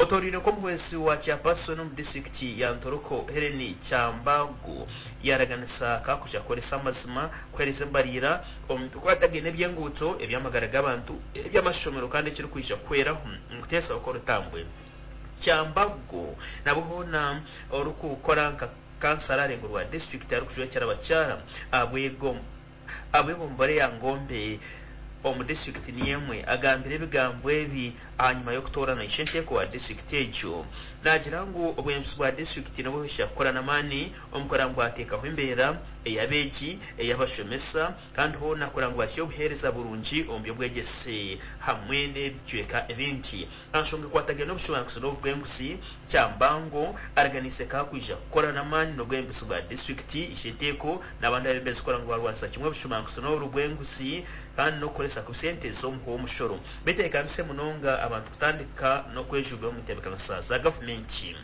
Otoreire nk'omuhwezi wa Chairperson omu disiturikiti ya Ntoroko Hellen Kyambagu yaraganisa kakuja kukoresa amazima kuhereza embariira omu bikwatagaine eby'enguuto, eby'amagara g'abantu, eby'amashomero kandi ekirikwija kuhweraho omu kuteesaho kw'orutambwe. Kyambagu nabwo hoona orikukora nka kansara arengo rwa disiturikiti arikujwekyera abakyara ahabw'egombora eya Ngombe omu disiturikiti niyo emwe agambire ebigambo ebi ahanyima y'okutoorana ishenteeko wa disiturikiti egyo. Naagira ngu obwebembezi bwa disiturikiti nibwija kukora n'amaani omu kureba ngu bwateekaho embeera ey'abeegi, ey'abashomesa kandi hoona kureba ngu bahitsya obuheereza burungi omu by'obwegyese hamwe n'ebicweka ebindi. Aha nshonga ekwatagaine n'obushomankuzi n'obwenguzi, Kyambango araganiise ku akwija kukora n'amaani n'obwebembezi bwa disiturikiti, ishenteeko n'abandi abebembezi kureba ngu barwanisa kimwe obushomankuzi n'obwenguzi kandi n'okukoresa kubi sente z'omuha w'omushoro. Beteekaniise munonga abantu kutandika n'okwejumbira omu ntebeekanisa za gavumenti.